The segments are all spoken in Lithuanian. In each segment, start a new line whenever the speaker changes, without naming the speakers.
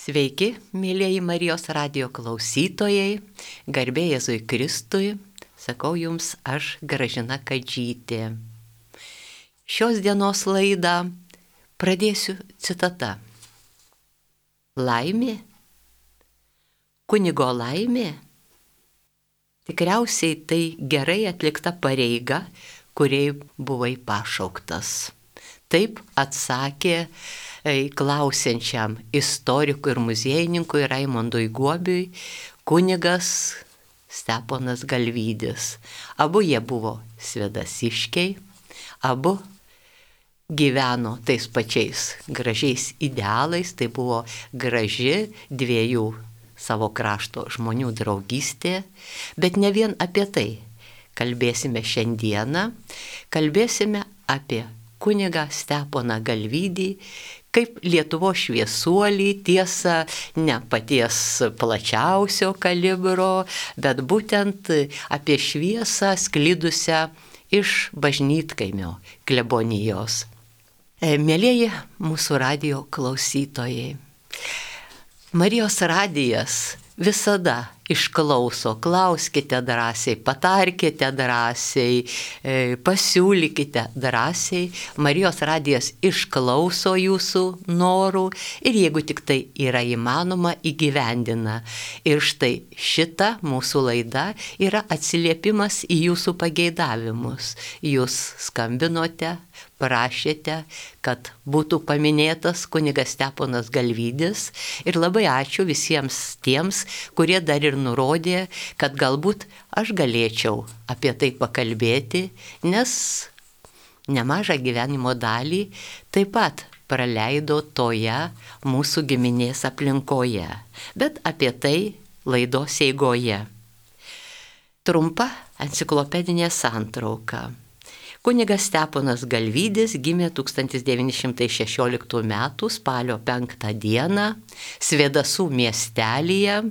Sveiki, mėlyjeji Marijos radijo klausytojai, garbė Jėzui Kristui, sakau jums aš Gražina Kadžytė. Šios dienos laidą pradėsiu citata. Laimė? Kunigo laimė? Tikriausiai tai gerai atlikta pareiga, kuriai buvai pašauktas. Taip atsakė klausiančiam istorikui ir muziejininkui Raimondui Guobiui kunigas Steponas Galvydis. Abu jie buvo svedasiškiai, abu gyveno tais pačiais gražiais idealais, tai buvo graži dviejų savo krašto žmonių draugystė, bet ne vien apie tai kalbėsime šiandieną, kalbėsime apie kunigą Steponą Galvydį, kaip Lietuvos šviesuolį, tiesa, ne paties plačiausio kalibro, bet būtent apie šviesą sklidusią iš Bažnytkaimio klebonijos. Mielieji mūsų radijo klausytojai, Marijos radijas visada išklauso, klauskite drąsiai, patarkite drąsiai, pasiūlykite drąsiai. Marijos radijas išklauso jūsų norų ir jeigu tik tai yra įmanoma, įgyvendina. Ir štai šita mūsų laida yra atsiliepimas į jūsų pageidavimus. Jūs skambinote, prašėte, kad būtų paminėtas kunigas Steponas Galvydis ir labai ačiū visiems tiems, kurie dar ir nurodė, kad galbūt aš galėčiau apie tai pakalbėti, nes nemažą gyvenimo dalį taip pat praleido toje mūsų giminės aplinkoje, bet apie tai laidos eigoje. Trumpa enciklopedinė santrauka. Kunigas Steponas Galvydis gimė 1916 m. spalio 5 d. Svedasų miestelyje,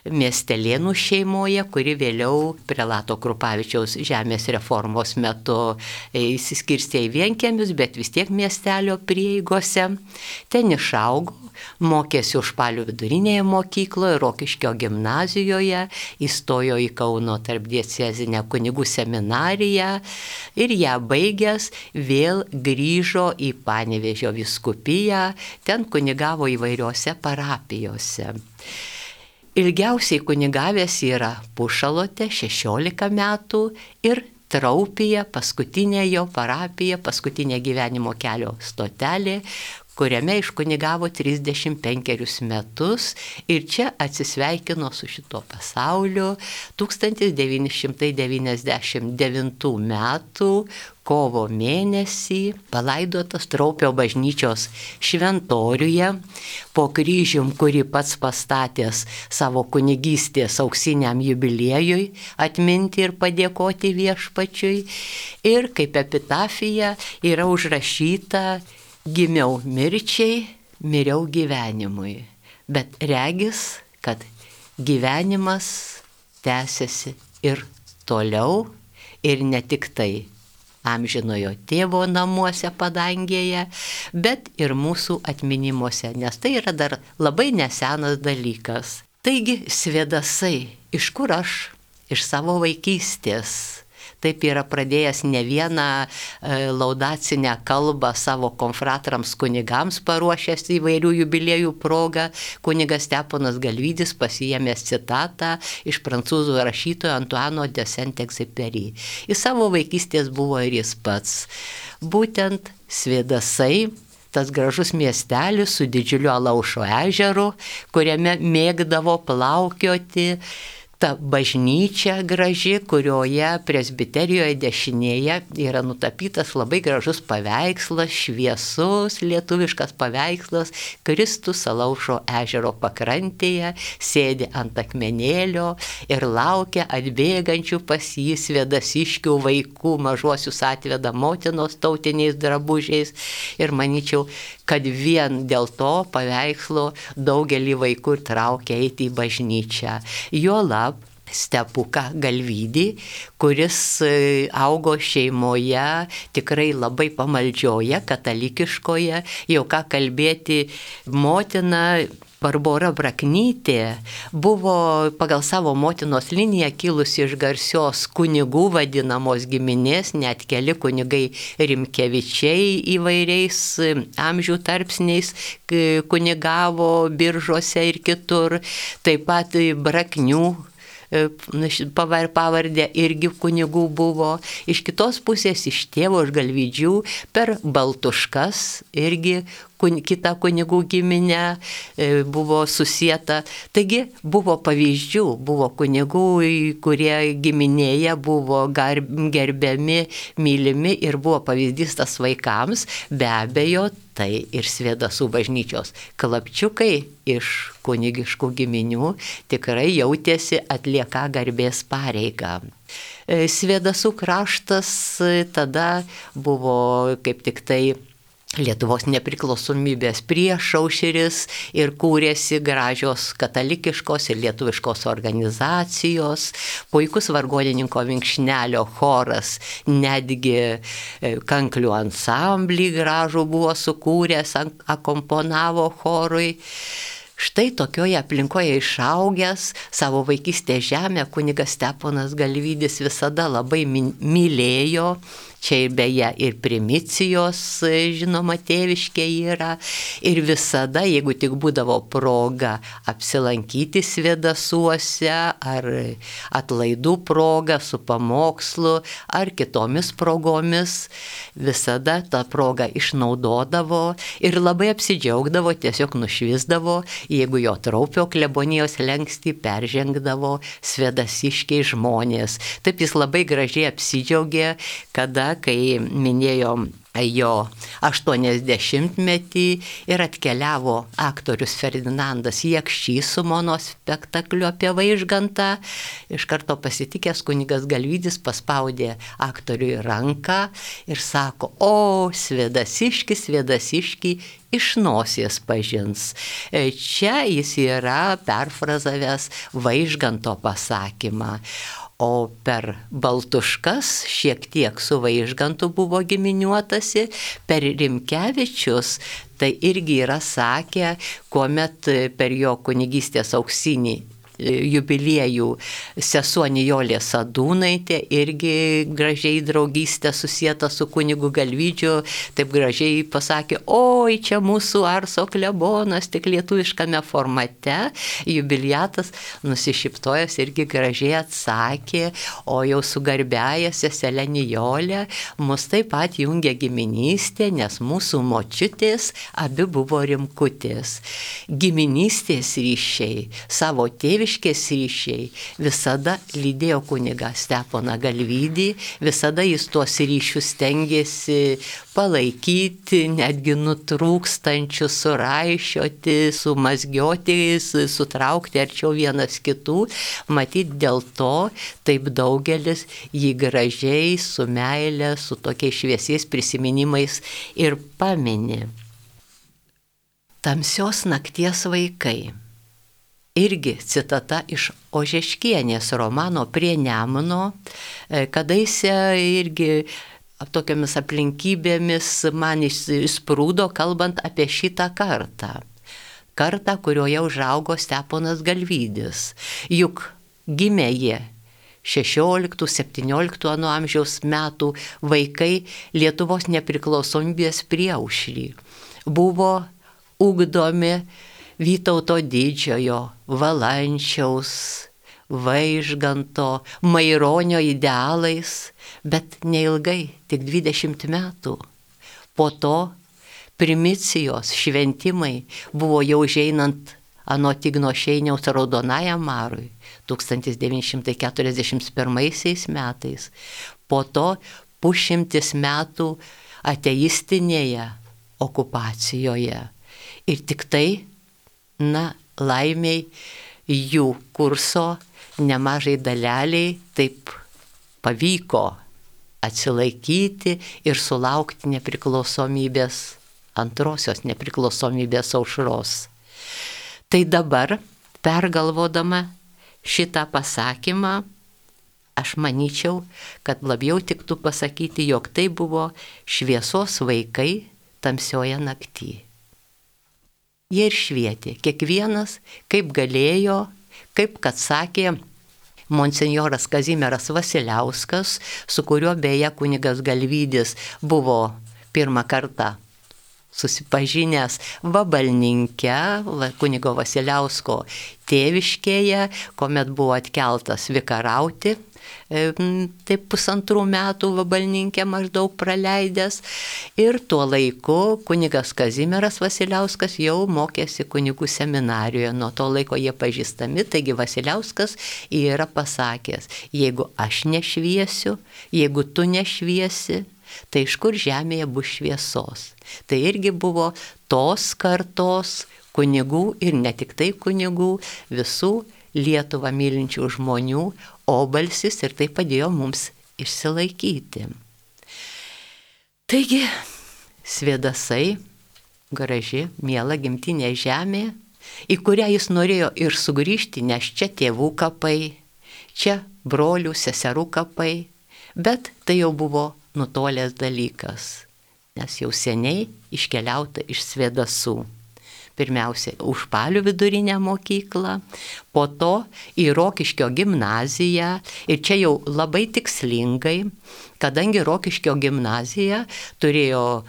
Miestelėnų šeimoje, kuri vėliau prelato Krupavičiaus žemės reformos metu įsiskirstė į vienkiemius, bet vis tiek miestelio prieigose. Ten išaugo, mokėsi Užpalių vidurinėje mokykloje, Rokiškio gimnazijoje, įstojo į Kauno tarpdiecezinę kunigų seminariją ir ją baigęs vėl grįžo į Panevėžio vyskupiją, ten kunigavo įvairiose parapijose. Ilgiausiai kunigavęs yra Pušalote 16 metų ir Traupyje, paskutinė jo parapija, paskutinė gyvenimo kelio stotelė, kuriame iškunigavo 35 metus ir čia atsisveikino su šito pasauliu 1999 metų kovo mėnesį, palaidotas Traupio bažnyčios šventoriuje, po kryžium, kurį pats pastatęs savo kunigystės auksiniam jubiliejui atminti ir padėkoti viešpačiui. Ir kaip epitafija yra užrašyta: gimiau mirčiai, miriau gyvenimui. Bet regis, kad gyvenimas tęsiasi ir toliau, ir ne tik tai amžinojo tėvo namuose padangėje, bet ir mūsų atminimuose, nes tai yra dar labai nesenas dalykas. Taigi, svedasai, iš kur aš? Iš savo vaikystės. Taip yra pradėjęs ne vieną laudacinę kalbą savo konfratrams kunigams paruošęs įvairių jubiliejų progą. Kunigas Steponas Galvydis pasiėmęs citatą iš prancūzų rašytojo Antoine de Saint-Exupéry. Į savo vaikystės buvo ir jis pats. Būtent svedasai, tas gražus miestelis su didžiuliu Alaušo ežeru, kuriame mėgdavo plaukioti. Ta bažnyčia graži, kurioje presbiterijoje dešinėje yra nutapytas labai gražus paveikslas, šviesus lietuviškas paveikslas. Kristus Alaušo ežero pakrantėje sėdi ant akmenėlio ir laukia atbėgančių pas jį svedasiškių vaikų, mažuosius atveda motinos tautiniais drabužiais. Ir manyčiau, kad vien dėl to paveikslo daugelį vaikų ir traukia eiti į bažnyčią. Juolab Stepuką Galvydį, kuris augo šeimoje tikrai labai pamaldžioje, katalikiškoje, jau ką kalbėti, motina Barbora Braknytė buvo pagal savo motinos liniją kilusi iš garsios kunigų vadinamos giminės, net keli kunigai Rimkevičiai įvairiais amžių tarpsniais kunigavo Biržuose ir kitur, taip pat Braknių pavardė irgi kunigų buvo, iš kitos pusės iš tėvo iš Galvydžių per Baltuškas irgi kita kunigų giminė buvo susieta. Taigi buvo pavyzdžių, buvo kunigų, kurie giminėje buvo gerbiami, mylimi ir buvo pavyzdys tas vaikams, be abejo, tai ir Svėdasų bažnyčios klapčiukai iš kunigiškų giminių tikrai jautėsi atlieką garbės pareigą. Svėdasų kraštas tada buvo kaip tik tai Lietuvos nepriklausomybės priešaušris ir kūrėsi gražios katalikiškos ir lietuviškos organizacijos, puikus vargonininko Vinkšnelio choras, netgi kanklių ansamblį gražų buvo sukūręs, akomponavo chorui. Štai tokioje aplinkoje išaugęs savo vaikystės žemę kunigas Steponas Galvydis visada labai mylėjo. Čia beje ir primicijos, žinoma, tėviškė yra. Ir visada, jeigu tik būdavo proga apsilankyti Svėdasuose, ar atlaidų proga su pamokslu, ar kitomis progomis, visada tą progą išnaudodavo ir labai apsidžiaugdavo, tiesiog nušvisdavo, jeigu jo Traupio klebonijos lenkstį peržengdavo svėdasiškiai žmonės. Taip jis labai gražiai apsidžiaugė, kada, kai minėjom jo 80-metį ir atkeliavo aktorius Ferdinandas Jakštys su monospektakliu apie Vaižgantą. Iš karto pasitikęs kunigas Galvydis paspaudė aktoriui ranką ir sako: o, Svėdasiški, iš nosies pažins. Čia jis yra perfrazavęs Vaižganto pasakymą. O per Baltuškas šiek tiek su Vaižgantu buvo giminiuotasi, per Rimkevičius tai irgi yra sakę, kuomet per jo kunigystės auksinį jubiliejų sesuo Nijolė Sadūnaitė irgi gražiai draugystė susieta su kunigu Galvydžiu, taip gražiai pasakė: oi, čia mūsų Arso klebonas, tik lietuviškame formate. Jubiliatas nusišyptojęs irgi gražiai atsakė: o jau su garbiaja seselė Nijolė mus taip pat jungia giminystė, nes mūsų močiutės abi buvo rimkutės. Giminystės ryšiai, savo tėviškės ryšiai visada lydėjo kunigą Steponą Galvydį, visada jis tuos ryšius stengiasi palaikyti, netgi nutrūkstančius suraišioti, sumazgioti, sutraukti arčiau vienas kitų. Matyt, dėl to taip daugelis jį gražiai, su meile, su tokiais šviesiais prisiminimais ir pamini. Tamsios nakties vaikai. Irgi citata iš Ožeškienės romano Prie Nemuno, kadaise irgi tokiamis aplinkybėmis man įsprūdo, kalbant apie šitą kartą. Kartą, kurioje užaugo Steponas Galvydis. Juk gimė jie 16-17 amžiaus metų vaikai Lietuvos nepriklausomybės priešaušry. Buvo ugdomi Vytauto Didžiojo, Valančiaus, Vaižganto, Maironio idealais, bet neilgai, tik 20 metų. Po to primicijos šventimai buvo jau užeinant anot Igno Šeiniaus Raudonajam marui 1941 metais. Po to pusšimtis metų ateistinėje okupacijoje. Ir tik tai, laimiai jų kurso nemažai daleliai taip pavyko atsilaikyti ir sulaukti nepriklausomybės, antrosios nepriklausomybės aušros. Tai dabar, pergalvodama šitą pasakymą, aš manyčiau, kad labiau tiktų pasakyti, jog tai buvo šviesos vaikai tamsioje naktyje. jie ir švietė. Kiekvienas, kaip galėjo, kaip kad sakė monsinjoras Kazimieras Vasiliauskas, su kuriuo beje kunigas Galvydis buvo pirmą kartą susipažinęs Vabalninke, kunigo Vasiliausko tėviškėje, kuomet buvo atkeltas vikarauti, taip 1,5 metų Vabalninke maždaug praleidęs. Ir tuo laiku kunigas Kazimieras Vasiliauskas jau mokėsi kunigų seminarijoje. Nuo to laiko jie pažįstami, taigi Vasiliauskas yra pasakęs, jeigu aš nešviesiu, jeigu tu nešviesi, tai iš kur žemėje bus šviesos. Tai irgi buvo tos kartos kunigų ir ne tik tai kunigų, visų Lietuvą mylinčių žmonių obalsis ir tai padėjo mums išsilaikyti. Taigi, Svėdasai, graži, miela gimtinė žemė, į kurią jis norėjo ir sugrįžti, nes čia tėvų kapai, čia brolių, seserų kapai, bet tai jau buvo nutolęs dalykas, nes jau seniai iškeliauta iš Svėdasų. Pirmiausia, Užpalių vidurinę mokyklą, po to į Rokiškio gimnaziją ir čia jau labai tikslingai, kadangi Rokiškio gimnazija turėjo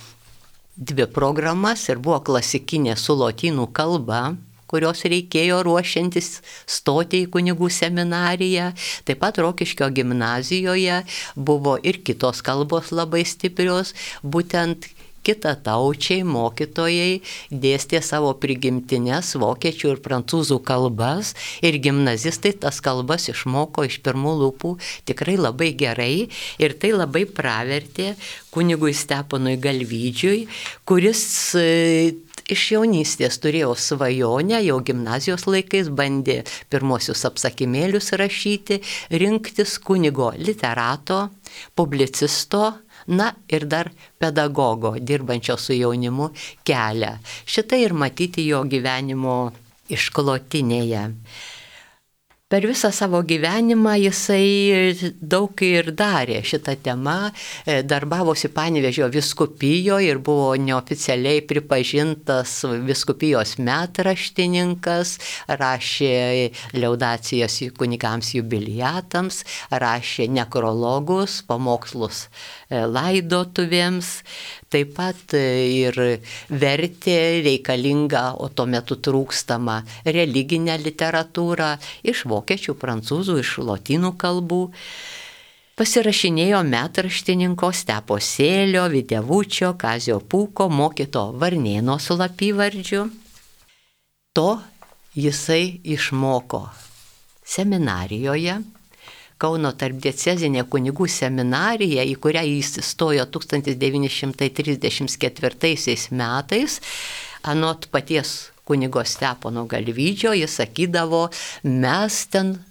2 programas ir buvo klasikinė su lotynų kalba, kurios reikėjo ruošiantis stoti į kunigų seminariją. Taip pat Rokiškio gimnazijoje buvo ir kitos kalbos labai stiprios, būtent kitataučiai mokytojai dėstė savo prigimtines vokiečių ir prancūzų kalbas ir gimnazistai tas kalbas išmoko iš pirmų lūpų tikrai labai gerai ir tai labai pravertė kunigui Steponui Galvydžiui, kuris iš jaunystės turėjo svajonę, jau gimnazijos laikais bandė pirmosius apsakymėlius rašyti, rinktis kunigo literato, publicisto, na ir dar pedagogo, dirbančio su jaunimu kelią. Šitai ir matyti jo gyvenimo išklotinėje. Per visą savo gyvenimą jisai daug ir darė šitą temą, darbavosi Panevėžio vyskupijoje ir buvo neoficialiai pripažintas vyskupijos metraštininkas, rašė liaudacijas kunigams jubiliatams, rašė nekrologus, pamokslus laidotuvėms, taip pat ir vertė reikalingą, o tuo metu trūkstamą religinę literatūrą iš vokiečių, prancūzų, iš lotynų kalbų. Pasirašinėjo metraštininko Stepo Sėlio, Videvučio, Kazio Pūko, mokyto Varnėno slapyvardžiu. To jisai išmoko seminarijoje, Kauno tarpdiecezinė kunigų seminarija, į kurią jis įstojo 1934 metais, anot paties kunigo Stepono Galvydžio, jis sakydavo, mes ten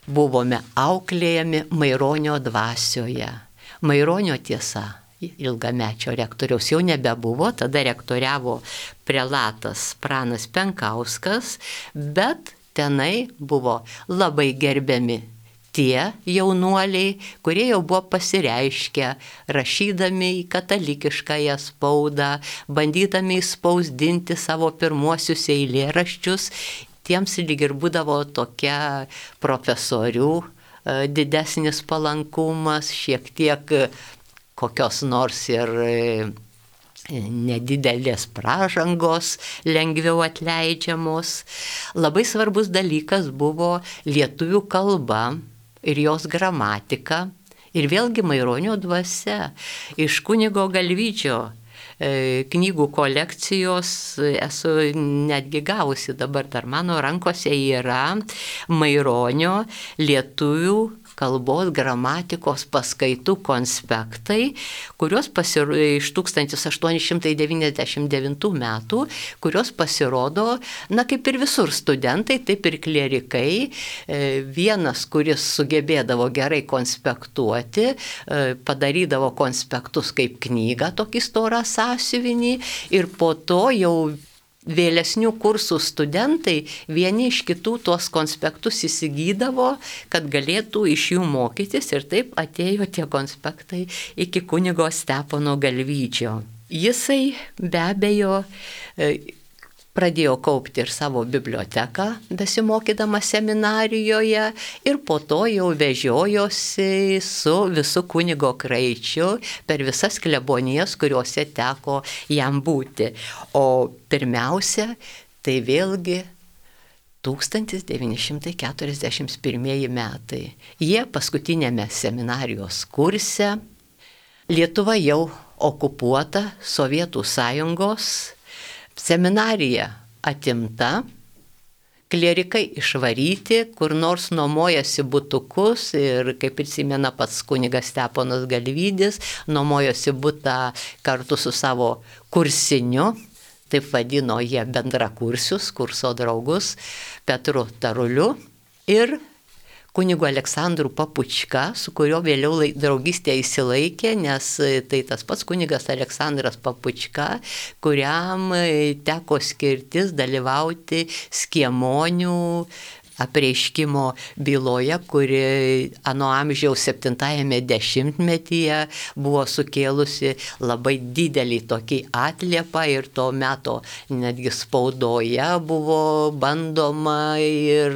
buvome auklėjami Maironio dvasioje. Maironio tiesa, ilgamečio rektoriaus jau nebebuvo, tada rektoriavo prelatas Pranas Penkauskas, bet tenai buvo labai gerbiami tie jaunuoliai, kurie jau buvo pasireiškę, rašydami į katalikiškąją spaudą, bandydami spausdinti savo pirmuosius eilėraščius, tiems lyg ir būdavo tokia profesorių didesnis palankumas, šiek tiek kokios nors ir nedidelės pražangos lengviau atleidžiamos. Labai svarbus dalykas buvo lietuvių kalba ir jos gramatika ir vėlgi Maironio dvasia. Iš kunigo Galvydžio knygų kolekcijos esu netgi gavusi, dabar dar mano rankose yra Maironio lietuvių kalbos gramatikos paskaitų konspektai, kurios iš 1899 metų, kurios pasirodo, na kaip ir visur studentai, taip ir klierikai. Vienas, kuris sugebėdavo gerai konspektuoti, padarydavo konspektus kaip knygą, tokį storą sąsiuvinį ir po to jau vėlesnių kursų studentai vieni iš kitų tuos konspektus įsigydavo, kad galėtų iš jų mokytis ir taip atėjo tie konspektai iki kunigo Stepono Galvydžio. Jisai be abejo pradėjo kaupti ir savo biblioteką, besimokydama seminarijoje, ir po to jau vežiojosi su visu kunigo Kraičiu per visas klebonijas, kuriuose teko jam būti. O pirmiausia, tai vėlgi 1941 metai. Jie paskutinėme seminarijos kurse, Lietuva jau okupuota Sovietų sąjungos, seminarija atimta, klierikai išvaryti, kur nors nuomojasi butukus ir, kaip prisimena pats kunigas Steponas Galvydis, nuomojosi butą kartu su savo kursiniu, taip vadino jie bendrakursius, kurso draugus, Petru Taruliu ir kunigu Aleksandru Papučka, su kuriuo vėliau draugystė įsilaikė, nes tai tas pats kunigas Aleksandras Papučka, kuriam teko skirtis dalyvauti Skiemonių apreiškimo byloje, kuri ano amžiaus 70-ame dešimtmetyje buvo sukėlusi labai didelį tokį atliepą ir to meto netgi spaudoje buvo bandoma ir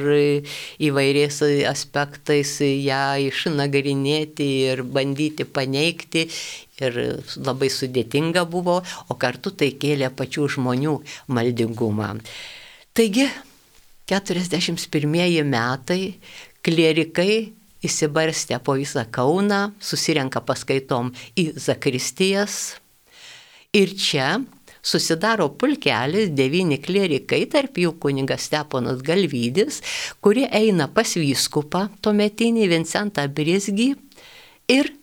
įvairiais aspektais ją išnagrinėti ir bandyti paneigti. Ir labai sudėtinga buvo, o kartu tai kėlė pačių žmonių maldingumą. Taigi, 41 metai, klierikai įsibarstę po visą Kauną, susirenka paskaitom į zakristijas ir čia susidaro pulkelis, 9 klierikai, tarp jų kunigas Steponas Galvydis, kurie eina pas vyskupą tuometinį Vincentą Brizgį ir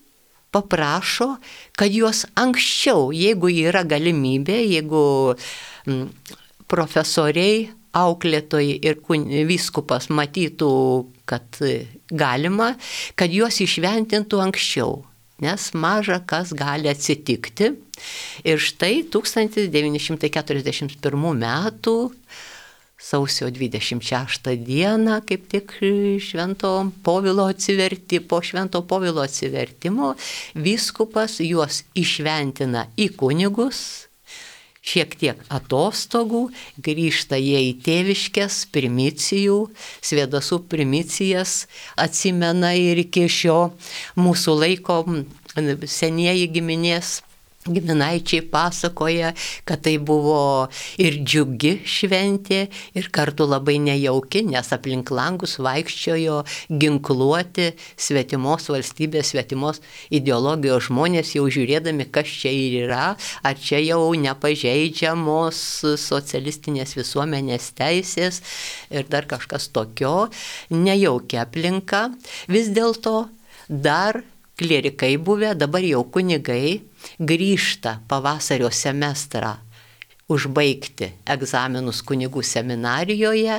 paprašo, kad juos anksčiau, jeigu yra galimybė, jeigu profesoriai, auklėtojai ir vyskupas matytų, kad galima, kad juos išventintų anksčiau, nes maža kas gali atsitikti. Ir štai 1941 metų sausio 26 dieną, kaip tik po Švento Povilo atsivertimo, vyskupas juos išventina į kunigus, šiek tiek atostogų, grįžta jie į tėviškes, primicijų, Svėdasų primicijas atsimena ir iki šio mūsų laiko senieji giminaičiai pasakoja, kad tai buvo ir džiugi šventė, ir kartu labai nejauki, nes aplink langus vaikščiojo ginkluoti svetimos valstybės, svetimos ideologijos žmonės, jau žiūrėdami, kas čia yra, ar čia jau nepažeidžiamos socialistinės visuomenės teisės ir dar kažkas tokio, nejaukia aplinka. Vis dėlto dar klierikai buvę, dabar jau kunigai, grįžta pavasario semestrą užbaigti egzaminus kunigų seminarijoje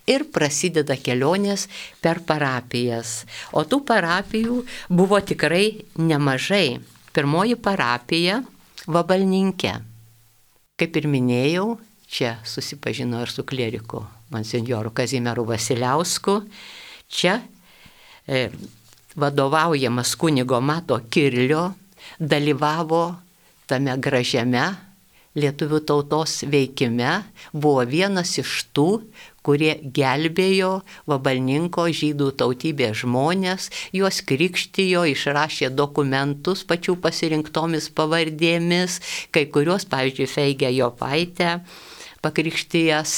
ir prasideda kelionės per parapijas. O tų parapijų buvo tikrai nemažai. Pirmoji parapija Vabalninke. Kaip ir minėjau, čia susipažino ir su klieriku monsinjoru Kazimieru Vasiliausku. Čia vadovaujamas kunigo Mato Kirlio dalyvavo tame gražiame lietuvių tautos veikime, buvo vienas iš tų, kurie gelbėjo Vabalninko žydų tautybės žmonės, juos krikštijo, išrašė dokumentus pačių pasirinktomis pavardėmis, kai kurios, pavyzdžiui, Feigė Jopaitė pakrikštijęs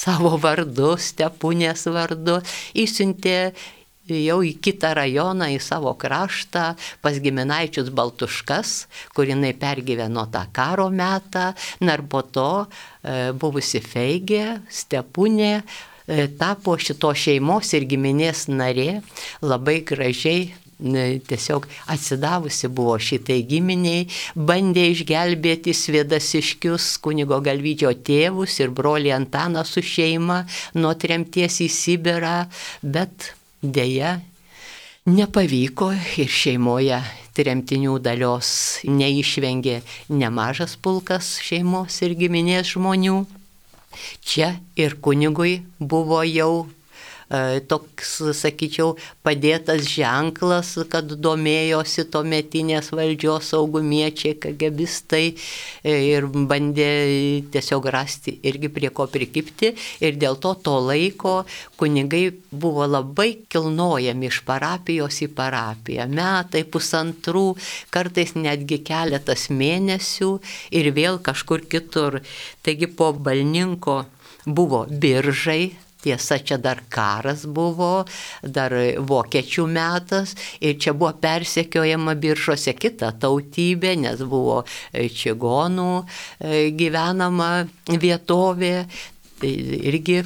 savo vardu, Stepunės vardu, išsiuntė jau į kitą rajoną, į savo kraštą, pas giminaičius Baltuškas, kur jinai pergyveno tą karo metą, ir po to buvusi Feigė, Stepunė, tapo šito šeimos ir giminės narė, labai gražiai, tiesiog atsidavusi buvo šitai giminiai, bandė išgelbėti Svėdasiškius, kunigo Galvydžio tėvus ir brolį Antaną su šeima nuo tremties į Sibirą, bet deja, nepavyko ir šeimoje tremtinių dalios neišvengė nemažas pulkas šeimos ir giminės žmonių. Čia ir kunigui buvo jau toks, sakyčiau, padėtas ženklas, kad domėjosi tuometinės valdžios saugumiečiai, KGBistai ir bandė tiesiog rasti irgi prie ko prikipti ir dėl to laiko kunigai buvo labai kilnojami iš parapijos į parapiją. Metai, pusantrų, kartais netgi keletas mėnesių ir vėl kažkur kitur. Taigi po Balninko buvo Biržai. Tiesa, čia dar karas buvo, dar vokiečių metas ir čia buvo persekiojama Biržuose kita tautybė, nes buvo čigonų gyvenama vietovė, irgi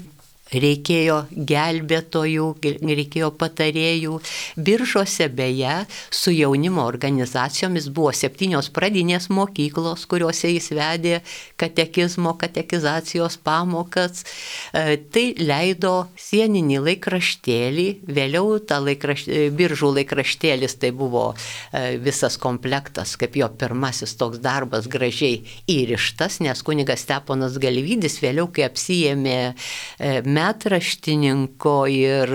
reikėjo gelbėtojų, reikėjo patarėjų. Biržuose beje su jaunimo organizacijomis buvo 7 pradinės mokyklos, kuriuose jis vedė katekizmo, katekizacijos pamokas. Tai leido sieninį laikraštėlį, vėliau Biržų laikraštėlis tai buvo visas komplektas, kaip jo pirmasis toks darbas gražiai įrištas, nes kunigas Steponas Galvydis vėliau, kai apsiėmė metraštininko ir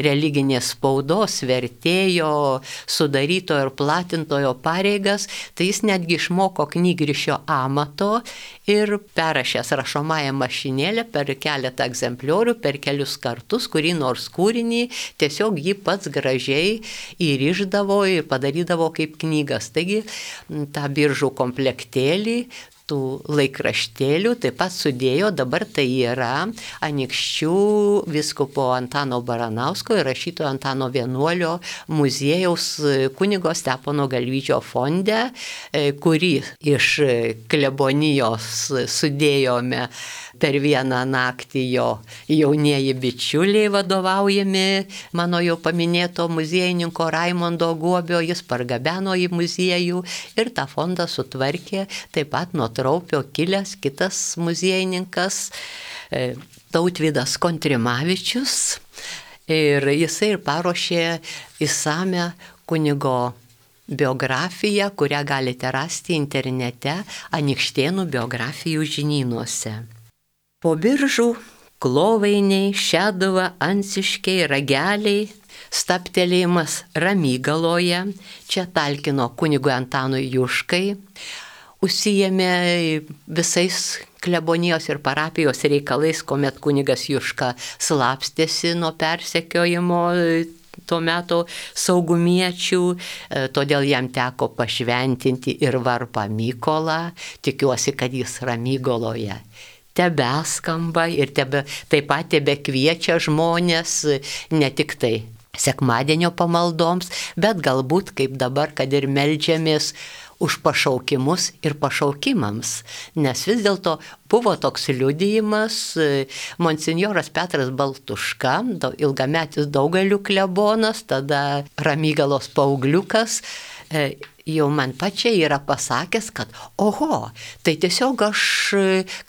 religinės spaudos vertėjo, sudarytojo ir platintojo pareigas, tai jis netgi išmoko knygrišio amato ir perrašęs rašomąją mašinėlę per keletą egzempliorių, per kelius kartus, kurį nors kūrinį, tiesiog jį pats gražiai įrišdavo ir padarydavo kaip knygas. Taigi tą Biržų komplektėlį tų laikraštėlių taip pat sudėjo, dabar tai yra Anykščių vyskupo Antano Baranausko ir rašytojo Antano Vienuolio muziejaus kunigo Stepono Galvyčio fonde, kurį iš klebonijos sudėjome per vieną naktį jo jaunieji bičiuliai vadovaujami mano jau paminėto muziejininko Raimondo Guobio, jis pargabeno į muziejų ir tą fondą sutvarkė taip pat nuo Traupio kilęs kitas muziejininkas Tautvydas Kontrimavičius ir jisai ir paruošė išsamią kunigo biografiją, kurią galite rasti internete Anykštėnų biografijų žinynuose. Po Biržų Klovainiai, Šeduva, Anciškiai, Rageliai, stabtelėjimas Ramygaloje, čia talkino kunigui Antanui Juškai, užsiėmė visais klebonijos ir parapijos reikalais, kuomet kunigas Juška slapstėsi nuo persekiojimo tuo metu saugumiečių, todėl jam teko pašventinti ir varpą Mykolą, tikiuosi, kad jis Ramygaloje tebeskamba ir taip pat tebekviečia žmonės ne tik tai sekmadienio pamaldoms, bet galbūt kaip dabar, kad ir meldžiamės už pašaukimus ir pašaukimams, nes vis dėlto buvo toks liudijimas, monsinjoras Petras Baltuška, ilgametis Daugalių klebonas, tada Ramygalos paaugliukas, jau man pačiai yra pasakęs, kad oho, tai tiesiog aš,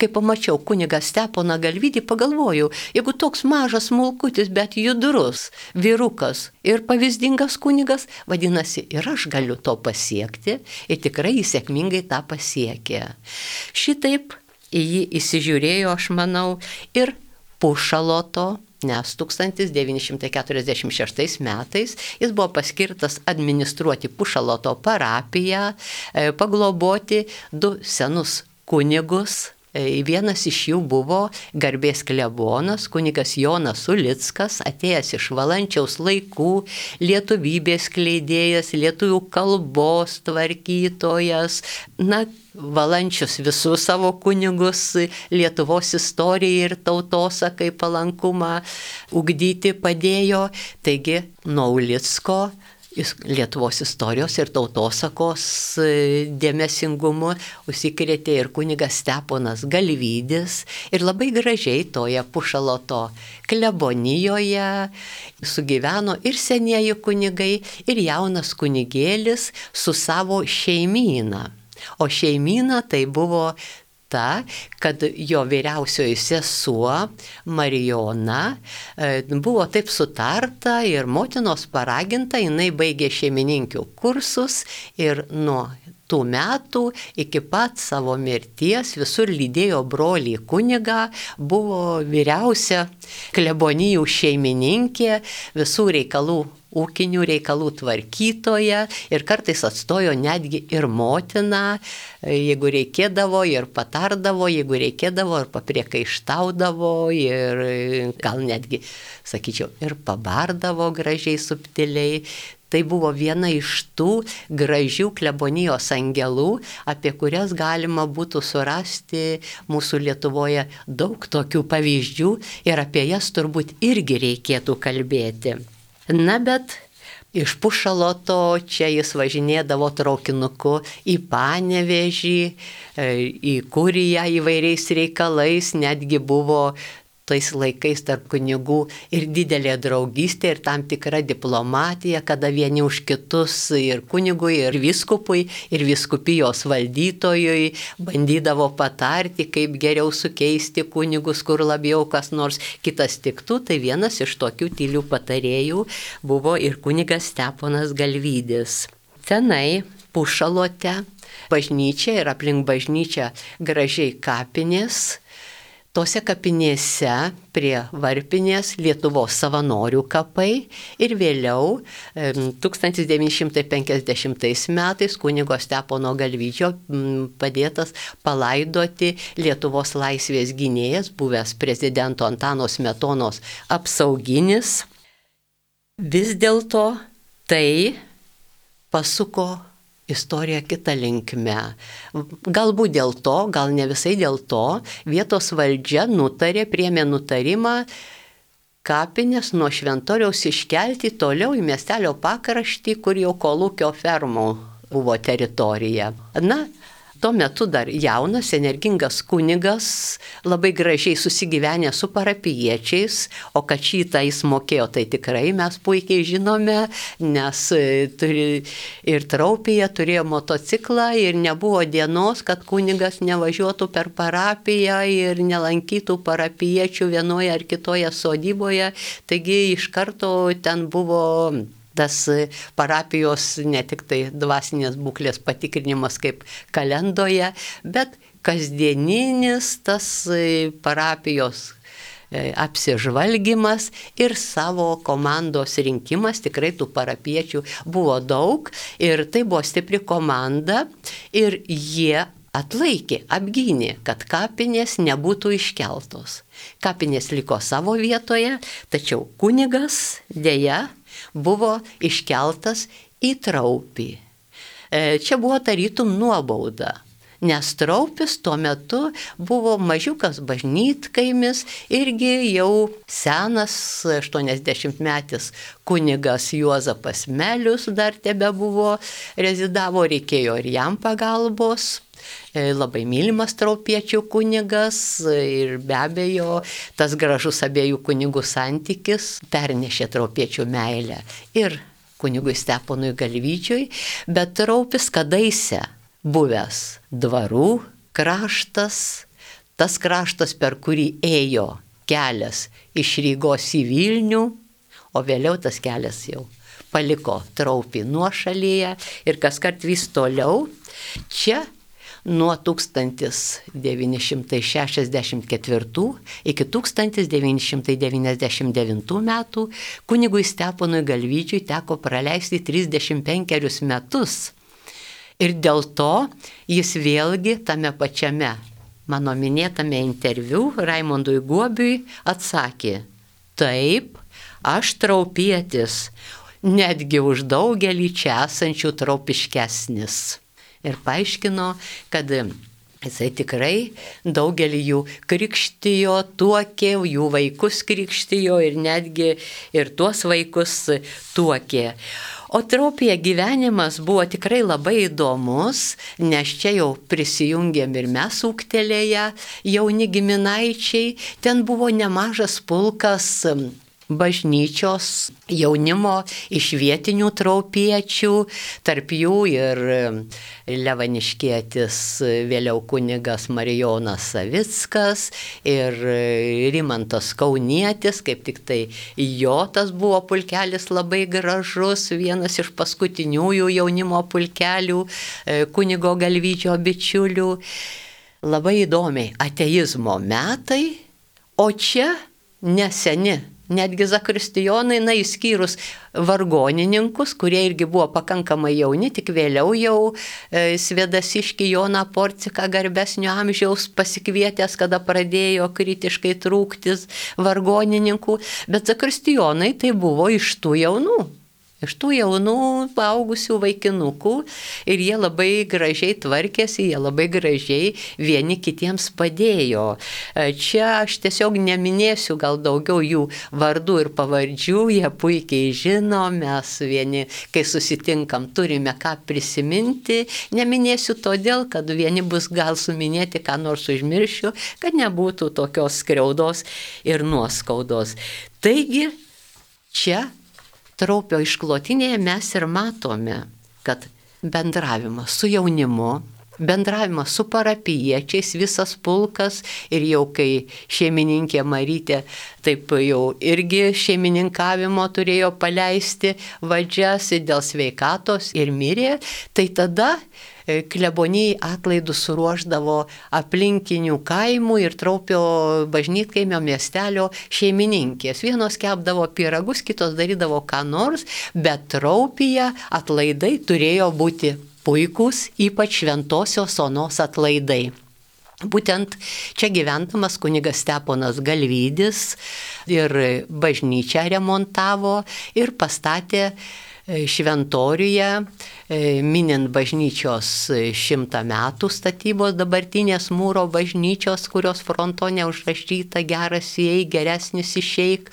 kai pamačiau kunigą Steponą Galvydį, pagalvojau, jeigu toks mažas smulkutis, bet judrus vyrukas ir pavyzdingas kunigas, vadinasi, ir aš galiu to pasiekti ir tikrai jis sėkmingai tą pasiekė. Šitaip į jį įsižiūrėjo, aš manau, ir Pušaloto, nes 1946 metais jis buvo paskirtas administruoti Pušaloto parapiją, pagloboti 2 senus kunigus. Vienas iš jų buvo garbės klebonas, kunigas Jonas Ulickas, atėjęs iš Valančiaus laikų, lietuvybės skleidėjas, lietuvių kalbos tvarkytojas. Valančius visus savo kunigus Lietuvos istorijai ir tautosakai palankumą ugdyti padėjo. Taigi nuo Ulicko Lietuvos istorijos ir tautosakos dėmesingumu užsikrėtė ir kunigas Steponas Galvydis ir labai gražiai toje Pušaloto klebonijoje sugyveno ir senieji kunigai, ir jaunas kunigėlis su savo šeimyna. O šeimyna tai buvo ta, kad jo vyriausioji sesuo Marijona buvo taip sutarta ir motinos paraginta, jinai baigė šeimininkių kursus ir nuo tų metų iki pat savo mirties visur lydėjo brolį kunigą, buvo vyriausia klebonijų šeimininkė, visų reikalų, ūkinių reikalų tvarkytoja ir kartais atstojo netgi ir motiną, jeigu reikėdavo ir patardavo, jeigu reikėdavo ir papriekaištaudavo ir gal netgi, sakyčiau, ir pabardavo gražiai, subtiliai. Tai buvo viena iš tų gražių klebonijos angelų, apie kurias galima būtų surasti mūsų Lietuvoje daug tokių pavyzdžių ir apie jas turbūt irgi reikėtų kalbėti. Na, bet iš Pušaloto čia jis važinėdavo traukinuku į Panevėžį, į Kuriją įvairiais reikalais, netgi buvo tais laikais tarp kunigų ir didelė draugystė ir tam tikra diplomatija, kada vieni už kitus ir kunigui, ir vyskupui, ir vyskupijos valdytojui bandydavo patarti, kaip geriau sukeisti kunigus, kur labiau kas nors kitas tiktų. Tai vienas iš tokių tylių patarėjų buvo ir kunigas Steponas Galvydis. Tenai Pušalote bažnyčia ir aplink bažnyčią gražiai kapinės. Tose kapinėse prie varpinės Lietuvos savanorių kapai ir vėliau 1950 metais kunigo Stepono Galvydžio padėtas palaidoti Lietuvos laisvės gynėjas, buvęs prezidento Antano Smetonos apsauginis. Vis dėlto tai pasuko istorija kita linkme. Galbūt dėl to, gal ne visai dėl to, vietos valdžia priėmė nutarimą kapinės nuo šventoriaus iškelti toliau į miestelio pakraštį, kur jau kolūkio fermų buvo teritorija. Na, tuo metu dar jaunas, energingas kunigas, labai gražiai susigyvenę su parapijiečiais, o kad šitą jis mokėjo, tai tikrai mes puikiai žinome, nes ir Traupyje turėjo motociklą ir nebuvo dienos, kad kunigas nevažiuotų per parapiją ir nelankytų parapijiečių vienoje ar kitoje sodyboje, taigi iš karto ten buvo tas parapijos ne tik tai dvasinės būklės patikrinimas kaip kalendoje, bet kasdieninis tas parapijos apsižvalgymas ir savo komandos rinkimas, tikrai tų parapiečių buvo daug ir tai buvo stipri komanda ir jie atlaikė, apgynė, kad kapinės nebūtų iškeltos. Kapinės liko savo vietoje, tačiau kunigas dėja buvo iškeltas į Traupį. Čia buvo tarytum nuobauda, nes Traupis tuo metu buvo mažiukas bažnytkaimis, irgi jau senas 80-metis kunigas Juozapas Melius dar tebebuvo, rezidavo, reikėjo ir jam pagalbos. Labai mylimas traupiečių kunigas ir be abejo tas gražus abiejų kunigų santykis pernešė traupiečių meilę ir kunigui Steponui Galvydžiui, bet Traupis kadaise buvęs dvarų kraštas, tas kraštas, per kurį ėjo kelias iš Rygos į Vilnių, o vėliau tas kelias jau paliko Traupį nuošalyje ir kaskart vis toliau. Čia nuo 1964 iki 1999 metų kunigui Steponui Galvydžiui teko praleisti 35 metus. Ir dėl to jis vėlgi tame pačiame mano minėtame interviu Raimondui Guobiui atsakė: taip, aš traupietis, netgi už daugelį čia esančių traupiškesnis. Ir paaiškino, kad jisai tikrai daugelį jų krikštijo, tuokė, jų vaikus krikštijo ir netgi ir tuos vaikus tuokė. O Traupyje gyvenimas buvo tikrai labai įdomus, nes čia jau prisijungėm ir mes ūgtelėję, jauni giminaičiai, ten buvo nemažas pulkas bažnyčios jaunimo iš vietinių traupiečių, tarp jų ir levaniškietis vėliau kunigas Marijonas Savickas ir Rimantas Kaunietis, kaip tik tai jo tas buvo pulkelis labai gražus, vienas iš paskutiniųjų jaunimo pulkelių, kunigo Galvydžio bičiulių. Labai įdomiai, ateizmo metai, o čia neseni. Netgi zakristijonai, išskyrus vargonininkus, kurie irgi buvo pakankamai jauni, tik vėliau jau Svedasiškį Joną Porciką garbesnio amžiaus pasikvietęs, kada pradėjo kritiškai trūktis vargonininkų, bet zakristijonai tai buvo iš tų jaunų paaugusių vaikinukų ir jie labai gražiai tvarkėsi, jie labai gražiai vieni kitiems padėjo. Čia aš tiesiog neminėsiu gal daugiau jų vardų ir pavardžių, jie puikiai žino, mes vieni, kai susitinkam, turime ką prisiminti, neminėsiu todėl, kad vieni bus gal suminėti, ką nors užmiršiu, kad nebūtų tokios skriaudos ir nuoskaudos. Taigi, čia Traupio išklotinėje mes ir matome, kad bendravimas su jaunimu, bendravimas su parapijiečiais, visas pulkas ir jau kai šeimininkė Marytė taip jau irgi šeimininkavimo turėjo paleisti vadžias dėl sveikatos ir mirė, tai tada klebonijai atlaidus suruošdavo aplinkinių kaimų ir Traupio bažnytkaimio miestelio šeimininkės. Vienos kepdavo pyragus, kitos darydavo ką nors, bet Traupyje atlaidai turėjo būti puikūs, ypač Šventosios Onos atlaidai. Būtent čia gyvendamas kunigas Steponas Galvydis ir bažnyčią remontavo ir pastatė šventoriuje, minint bažnyčios 100 metų statybos dabartinės mūro bažnyčios, kurios frontone užrašyta geras įeik, geresnis išeik,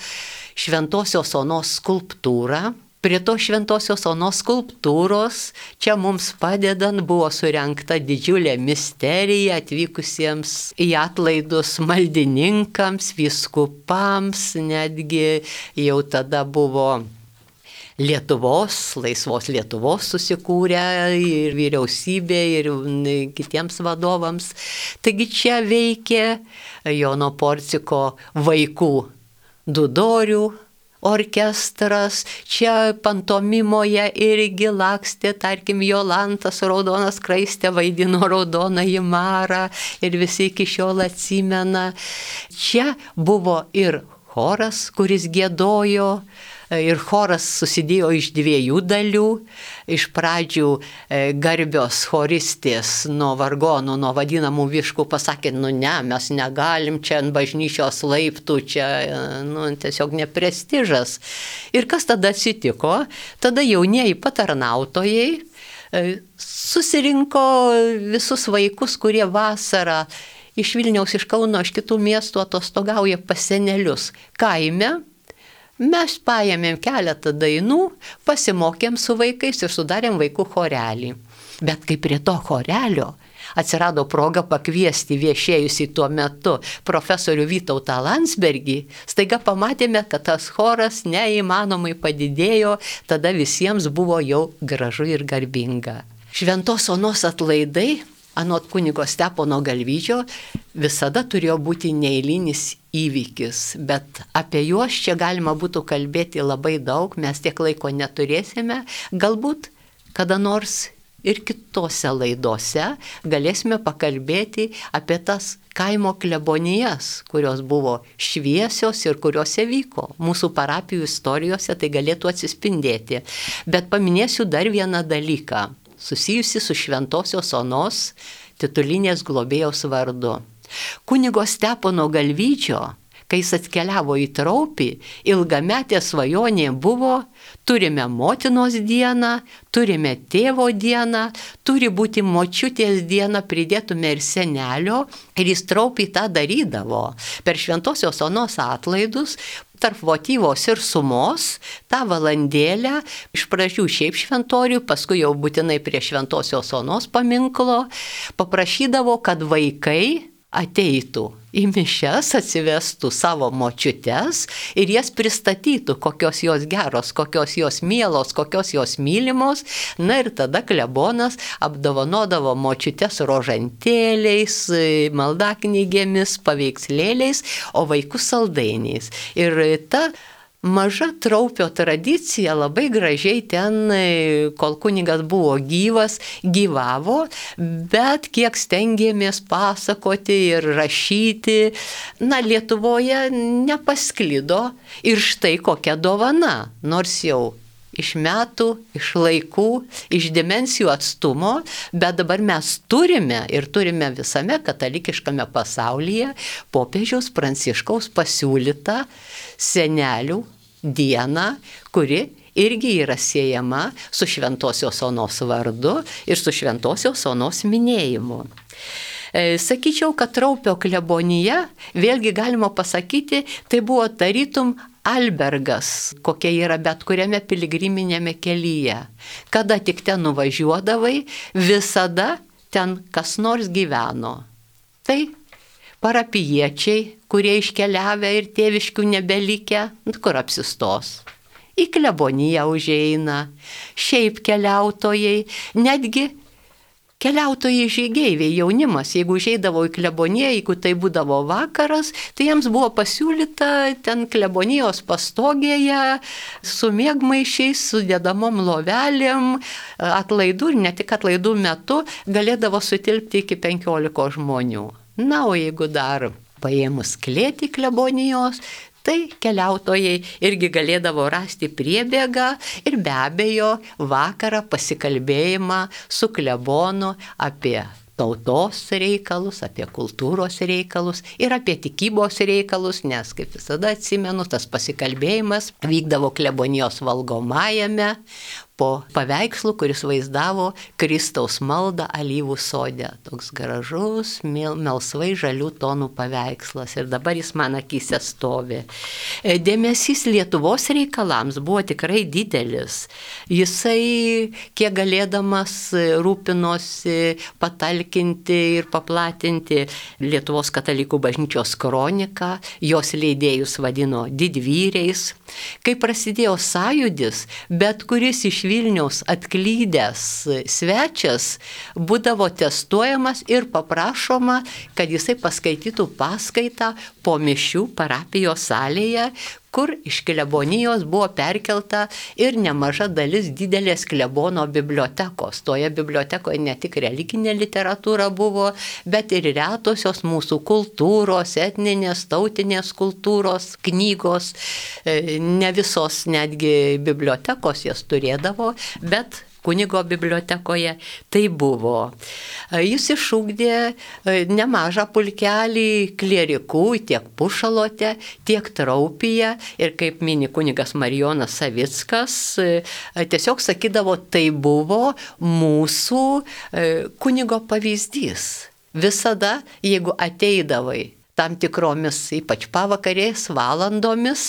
Šventosios Onos skulptūrą. Prie to Šventosios Onos skulptūros čia mums padedant buvo surengta didžiulė misterija atvykusiems į atlaidus maldininkams, vyskupams, netgi jau tada buvo laisvos Lietuvos susikūrė ir vyriausybė, ir kitiems vadovams. Taigi čia veikė Jono Porciko vaikų dudorių orkestras, čia pantomimoje irgi lakstė, tarkim, Jolantas Raudona Skraistė vaidino Raudonąjį Marą ir visi iki šiol atsimena. Čia buvo ir choras, kuris giedojo, ir choras susidėjo iš 2 dalių. Iš pradžių garbios choristės nuo vargonų, nuo vadinamų viškų pasakė, ne, mes negalim čia ant bažnyčios laiptų, čia tiesiog neprestižas. Ir kas tada atsitiko? Tada jaunieji patarnautojai susirinko visus vaikus, kurie vasarą iš Vilniaus, iš Kauno, iš kitų miestų atostogauja pas senelius kaime. Mes paėmėm keletą dainų, pasimokėm su vaikais ir sudarėm vaikų chorelį. Bet kai prie to chorelio atsirado proga pakviesti viešėjusį tuo metu profesorių Vytautą Landsbergį, staiga pamatėme, kad tas choras neįmanomai padidėjo, tada visiems buvo jau gražu ir garbinga. Šventos Onos atlaidai, anot kunigo Stepono Galvydžio, visada turėjo būti neeilinis įvykis, bet apie juos čia galima būtų kalbėti labai daug, mes tiek laiko neturėsime, galbūt kada nors ir kitose laidose galėsime pakalbėti apie tas kaimo klebonijas, kurios buvo šviesios ir kuriuose vyko. Mūsų parapijų istorijose tai galėtų atsispindėti. Bet paminėsiu dar vieną dalyką, susijusi su Šventosios Onos titulinės globėjos vardu. Kunigo Stepono Galvydžio, kai jis atkeliavo į Traupį, ilgametė svajonė buvo, turime motinos dieną, turime tėvo dieną, turi būti močiutės diena, pridėtume ir senelio, ir jis Traupį tą darydavo. Per Šventosios Onos atlaidus tarp votyvos ir sumos, tą valandėlę, iš pradžių šiaip šventorių, paskui jau būtinai prie Šventosios Onos paminklo, paprašydavo, kad vaikai ateitų į mišias, atsivestų savo močiutes ir jas pristatytų, kokios jos geros, kokios jos mielos, kokios jos mylimos. Na ir tada klebonas apdovanodavo močiutes rožantėliais, maldaknygėmis, paveikslėliais, o vaikus saldainiais. Ir ta maža Traupio tradicija labai gražiai ten, kol kunigas buvo gyvas, gyvavo, bet kiek stengėmės pasakoti ir rašyti, Lietuvoje nepasklido ir štai kokia dovana, nors jau iš metų, iš laikų, iš dimensijų atstumo, bet dabar mes turime visame katalikiškame pasaulyje popiežiaus Pranciškaus pasiūlytą senelių dieną, kuri irgi yra siejama su Šventosios Onos vardu ir su Šventosios Onos minėjimu. Sakyčiau, kad Traupio klebonija, vėlgi galima pasakyti, tai buvo tarytum albergas, kokia yra bet kuriame piligriminėme kelyje. Kada tik ten nuvažiuodavai, visada ten kas nors gyveno. Tai parapijiečiai, kurie iškeliavę ir tėviškių nebelikę, kur apsistos. Į kleboniją užeina, šiaip keliautojai, netgi keliautojai žygeiviai, jaunimas, jeigu užeidavo į kleboniją, jeigu tai būdavo vakaras, tai jiems buvo pasiūlyta ten klebonijos pastogėje su miegmaišiais, su dėdamom lovelėm, atlaidų ir ne tik atlaidų metu galėdavo sutilpti iki 15 žmonių. Na, o jeigu dar paėmus klėtį klebonijos, tai keliautojai irgi galėdavo rasti priebėgą ir be abejo vakarą pasikalbėjimą su klebonu apie tautos reikalus, apie kultūros reikalus ir apie tikybos reikalus, nes, kaip visada atsimenu, tas pasikalbėjimas vykdavo klebonijos valgomajame po paveikslu, kuris vaizdavo Kristaus maldą alyvų sode. Toks gražus, melsvai žalių tonų paveikslas ir dabar jis man akyse stovi. Dėmesys Lietuvos reikalams buvo tikrai didelis. Jisai, kiek galėdamas, rūpinosi patalkinti ir paplatinti Lietuvos katalikų bažnyčios kroniką, jos leidėjus vadino didvyriais. Kai prasidėjo sąjūdis, bet kuris iš Vilniaus atklydęs svečias būdavo testuojamas ir paprašoma, kad jisai paskaitytų paskaitą po mišių parapijos salėje, kur iš klebonijos buvo perkelta ir nemaža dalis didelės klebono bibliotekos. Toje bibliotekoje ne tik religinė literatūra buvo, bet ir retosios mūsų kultūros, etninės, tautinės kultūros, knygos. Ne visos netgi bibliotekos jas turėdavo, bet kunigo bibliotekoje tai buvo. Jis išugdė nemažą pulkelį klierikų tiek Pušalote, tiek Traupyje ir kaip mini kunigas Marijonas Savickas, tiesiog sakydavo, tai buvo mūsų kunigo pavyzdys. Visada, jeigu ateidavai tam tikromis, ypač pavakarės valandomis,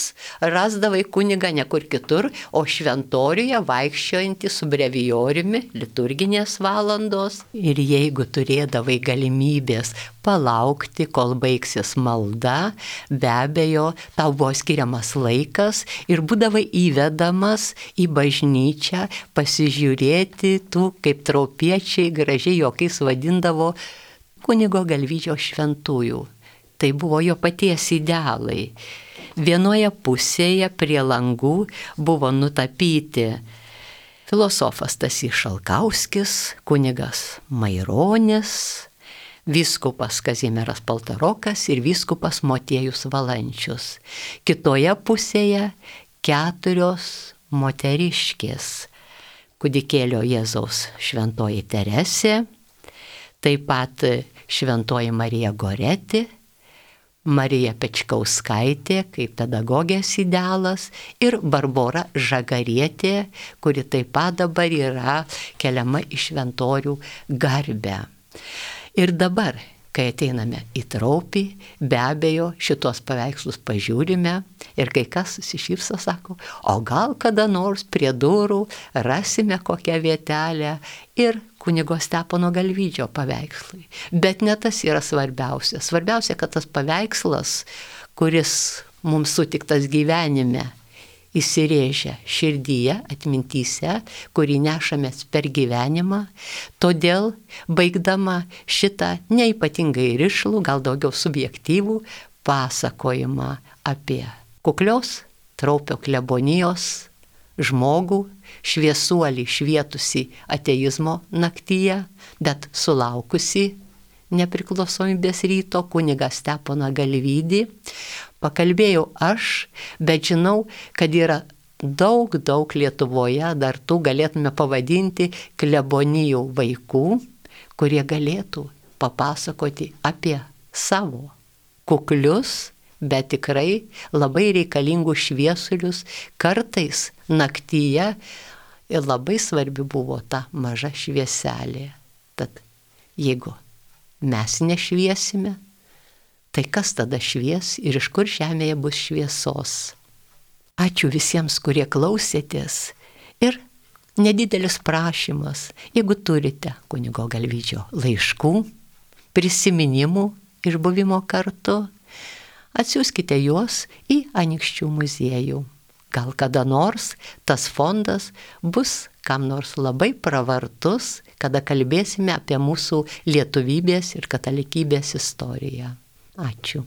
rasdavai kunigą ne kur kitur, o šventoriuje vaikščiojantį su brevijoriumi, liturginės valandos. Ir jeigu turėdavai galimybės palaukti, kol baigsis malda, be abejo, tau buvo skiriamas laikas ir būdavai įvedamas į bažnyčią pasižiūrėti tų, kaip traupiečiai gražiai juokais vadindavo, kunigo Galvyčio šventųjų. Tai buvo jo paties idealai. Vienoje pusėje prie langų buvo nutapyti filosofas Stasys Šalkauskis, kunigas Maironis, vyskupas Kazimieras Paltarokas ir vyskupas Motiejus Valančius. Kitoje pusėje 4 moteriškės. Kūdikėlio Jėzaus šventoji Teresė, taip pat šventoji Marija Goretė, Marija Pečkauskaitė kaip pedagogės idealas ir Barbora Žagarietė, kuri taip pat dabar yra keliama į šventorių garbę. Ir dabar, kai ateiname į Traupį, be abejo šitos paveikslus pažiūrime ir kai kas susišypso, sako, o gal kada nors prie durų rasime kokią vietelę ir kunigo Stepono Galvydžio paveikslui. Bet ne tas yra svarbiausia. Svarbiausia, kad tas paveikslas, kuris mums sutiktas gyvenime, įsirėžia širdyje, atmintyse, kurį nešamės per gyvenimą. Todėl, baigdama šitą neypatingai rišlų, gal daugiau subjektyvų pasakojimą apie kuklios Traupio klebonijos žmogų, šviesuolį švietusi ateizmo naktyje, bet sulaukusi nepriklausomybės ryto kunigą Steponą Galvydį. Pakalbėjau aš, bet žinau, kad yra daug Lietuvoje, dar tų galėtume pavadinti klebonijų vaikų, kurie galėtų papasakoti apie savo kuklius, bet tikrai labai reikalingus šviesulius, kartais naktyje, ir labai svarbi buvo ta maža švieselė. Tad jeigu mes nešviesime, tai kas tada švies ir iš kur žemėje bus šviesos? Ačiū visiems, kurie klausėtės, ir nedidelis prašymas, jeigu turite kunigo Galvydžio laiškų, prisiminimų iš buvimo kartu, atsiųskite juos į Anykščių muziejų. Gal kada nors tas fondas bus kam nors labai pravartus, kada kalbėsime apie mūsų lietuvybės ir katalikybės istoriją. Ačiū.